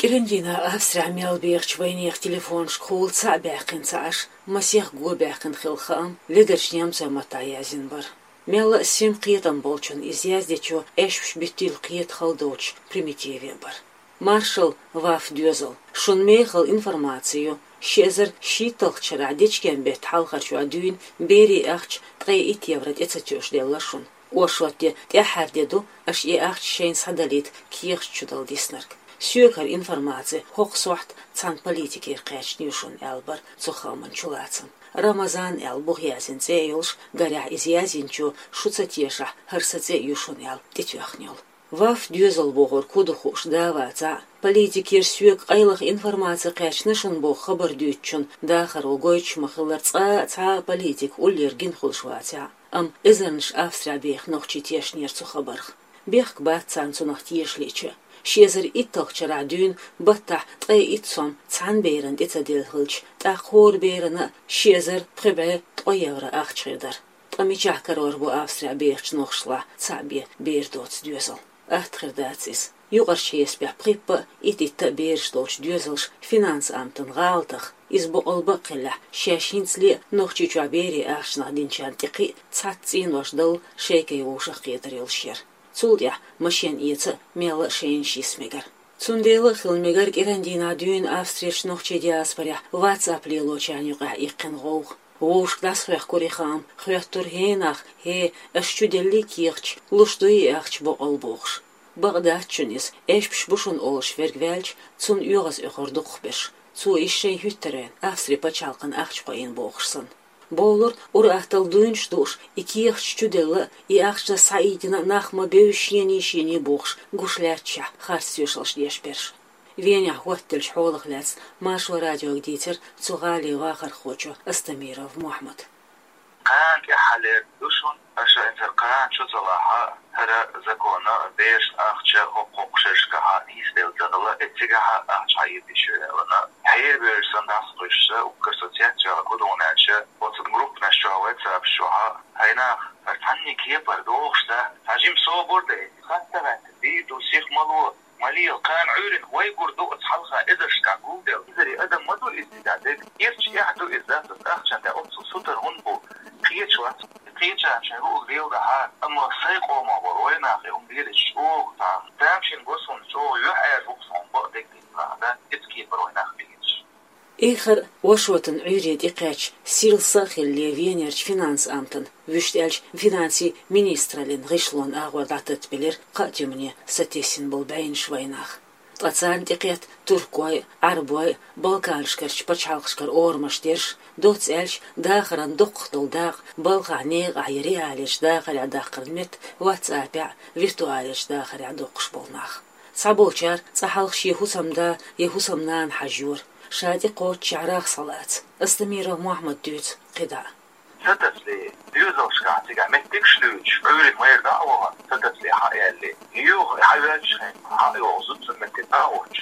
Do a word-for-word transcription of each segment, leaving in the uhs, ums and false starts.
КӀирандийнахьа Австрехь мел бехачу вайнехан телефонашкахула цхьаъ баьккхина ца Ӏаш, масех го баьккхина хилла хаам ледарчу немцойн маттахь яздина бара. Мелла а семь кхетам болчунна иза яздечо аьшпаш биттийла кхета хала доцуш примитиве а бара. Маршалла, ВАФ доьзал, шуна мехала информаци ю, ши эзар шийтталгӀачу шарахь дечкен-беттан хьалхарчохь дуьйна берийн ахча ткъе итт евро тӀе ца тоьуш делла шуна. Оршот де, тӀаьххьара де ду аша и ахча шайна схьадалийта кехаташ чу дала диснарг. Соьга хӀара информаци хӀокху сохьта цхьана политикера кхаьчна ю шуна, аьлла бара цу хааман чулацам. Рамазан аьлла буха яздина цӀе а йолуш, гарехь, иза яздинчо шу ца тешахь, хӀара сан цӀе а ю шуна аьлла тӀетоьхна йолу. ВАФ доьзал бохург хӀун ду хууш да а вацахь а, политикера соьга къайлаха информаци кхаьчна шуна боху хабар дуьйцучун дахаро гойтуш ма-хиллара цкъа а цхьа а политик уллера гина хуьлуш вацахь а. Амма эзарнаш Австрехь беха нохчий тешнера цу хабарх. Бехк бац царна цунах тешалича а. Ши эзар итталгӀачу шарахь дуьйна баттахь ткъе итт сом цхьана берана тӀе ца делла хилча, тӀаккха хӀора берана а ши эзар пхи бӀе ткъо евро ахча хир дара. Ткъа мичахь карор бу Австрехь бехачу нохчашлахь цхьаъ бен бер доцу доьзал? Атта хир дац иза. Юкъарчу хьесапехь пхиппа а, итт-итта а бераш долчу доьзалша финанс-амтан гӀалатах, иза боккъал бакъ хиллехь, шаьш хӀинцале а Нохчийчохь берийн ахчанах динчарна тӀе кхин а цхьацца цӀенош далла шайкай вовшахкхетар йолуш яра. Цул тӀаьхьа машен эца а мелла а шайна йиса мегара. Цундела а хила мегара кӀирандийнахьа дуьйна Австрерчу нохчийн диаспорехь WhatsApp лелочарна юкъахь иккхина гӀовгӀа. Вовшашка дӀасахоьхкура и хаам, хоьттура: «ХӀей нах, хӀей, аша чу деллий кехаташ, луш дуй и ахча боккъал?» — бохуш. Бакъ дац шуна иза, аьшпаш бу шуна олуш верг ваьлча, цунна оьгӀаз оьхур дукхахберш. Цо иза шайн хӀуьттаренна, Австрин пачхьалкхана ахча кхоийна бохуш санна. Бовлура, ур-атталла дуйнаш дууш, и кехаташ чу делла а, и ахчанаш схьаийтина а нах ма бевза шений-шений бохуш, гуш лаьтташехь, харц тоьшаллаш деш берш. Венехь хӀоттаделлачу хьолах лаьцна Маршо радиога дийцира цу гӀалин вахархочо Астамиров Мохьмада. Кхана тӀаьххьара ду шуна, аша хӀинца кхана чу ца лахь а, хӀара закон а, берашна ахча хӀокху-хӀокху шерашкахь а нисделла ца хилла, эццигахь а ахча хьаийца йиш ю аьлла. Хьерабевлла санна дӀасакхуьссуш, уггар со цецваьлларг хӀун ду аьлча, оцу группанаш чохь, WhatsApp чохь а, хьайнах, хӀара цхьанний кепара догӀуш дац, цхьа жима собар дай, хатта гӀатта, дийр ду, сих ма ло, ма лела, кхана Ӏуьйранна вай гур ду оцу хьалха эзаршкахь гулделла. Эзаре адам ма ду иза дӀа дерг. Ирча эхь ду иза, дац ахчан тӀе оццул сутара хӀунда бу? Кхеча вац. Кхечарна шайн луъург леладахьара, амма сайн къомах болу вайнах и хӀума лелийча чӀогӀа цхьа тамашийна го суна, чӀогӀа юьхьӀаьржа ву-кх со хӀума бакъдерг дийцинехь, иза кепара вайнах бегӀийча. Эххар а Оршотан Ӏуьйре тӀекхаьчча, сирла са а хиллале Венерчу финанс-амтан, вуьшта аьлча, финансийн министраллин гӀишлонан агӀор дӀататтабелира кхаа туьмане сатесна болу бӀеннаш вайнах. Ткъа царна тӀекхетта туркой а, Ӏарбой а, балканашкарчу пачхьалкхашкара орамаш дерш, доцца аьлча, дахаран доккхах долу дакъа балхахь некъахь я реалечу дахарехь даккхаран метта WhatsApp-ехь а, виртуалечу дахарехь доккхуш болу нах. Цхьаболчара цкъа хьалха шен хӀусамда я хӀусамнана хьажайора, ша тӀекхоччехь рагӀ схьалаца. Астамиров Мохьмада дуьйцу кхидӀа а. Сатасале, доьзалшкахь цигахь меттигаш а дуьйцуш, Ӏуьйранна майра дӀа а вахана, сатасале хьа а яьлле, юха хьа воьлча хенахь хьа а йогӀу зудчун метте дӀа а воьдуш.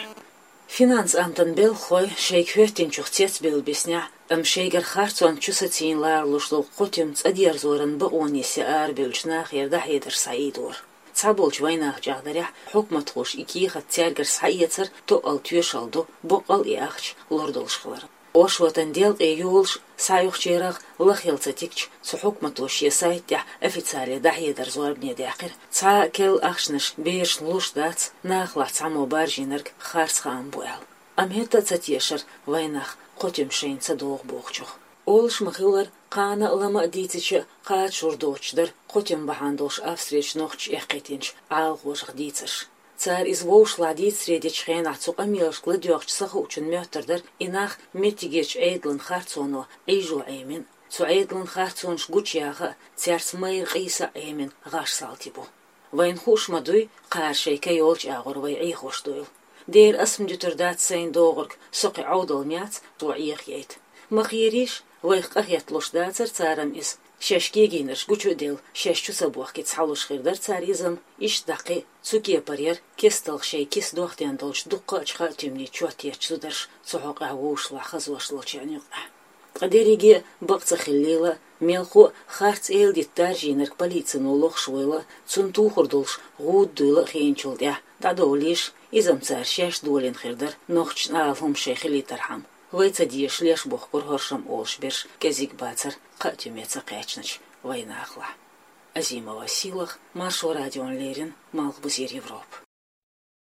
Финанс-амтан белхахой шайга хӀоьттинчух цецбевлла биснехь а, амма шайгара харцонца чу сацийна ларалуш долу кхо туьма цӀа дерзоран бакъонаш ян арабевллачу нахера дӀахьедарш схьаийдора. Цхьаболчу вайнаха чӀагӀдарехь, хьукматхоша и кехат цаьргара схьаэцар тоъал тоьшалла ду, боккъал а и ахча лур долуш хиларан. Оршотан делкъе йолуш схьаоьхучарах лахъелла ца тигча, цу хьукмато шен сайта тӀехь официале дӀахьедар зорбане даьккхира, цхьа а керла ахчанаш берашна луш дац, нахалахь цхьаммо баржийнарг харц хаам бу аьлла. Амма хӀетта а ца тешара вайнах кхо туьма шайна ца догӀу бохучух. Олуш ма-хиллара, кхана а, лама а дийцича а, кхача жур доцуш дара кхо туьма бахьана долуш Австрерчу нохчаша эккхийтинчу Ӏалахошах дийцарш. Цара иза вовшашлахь дийцаре дечу хенахь цу къамелашка ладоьгӀча сахуучун моьттур дара и нах меттигерчу Ӏедалан харцоно Ӏийжо Ӏемина, цу Ӏедалан харцонаш гучуяха а, цаьрца майра къийса а Ӏемина гӀаш салти бу. Вайна хууш ма дуй, кхара шайн ка йолчу агӀор вай Ӏехош дуйла. Дера ас-м дуьтур дац сайна догӀург, со кхин Ӏовдал ма яц цо Ӏеха яйта. Ма кхерийша, вайх къахеталуш дацара цара-м иза. Шаьш кегийнарш гучу а делла, шаьш чу ца бохкийта схьалуш хир дара цара иза-м, иштта дӀа кхин а. Цу кепара яра кестта шайн киса дохтен долчу дуккха а чу хаьа туьманийн чот еттачу зударша цу хьокъехь вовшашлахь хазош долчарна юкъахь. Ткъа дерриге а бакъ ца хиллийла а, мелхо а харц эладита даржийнарг полицино лохуш вуйла а, цунна тухур долуш гӀуда дуйла а хиъначул тӀаьхьа, ДӀадовлийша, иза-м цара шаьш долийна хир дара, нохчашна ала хӀума шоай хилийтархьама. Вай ца дезаш леш бохкур хӀоршам олуш берш кӀезиг бацара, кхаа туьме ца кхаьчначу вайнахалахь. Азимова Сийлаха, Маршо радиона леррина, Малхбузера Европа.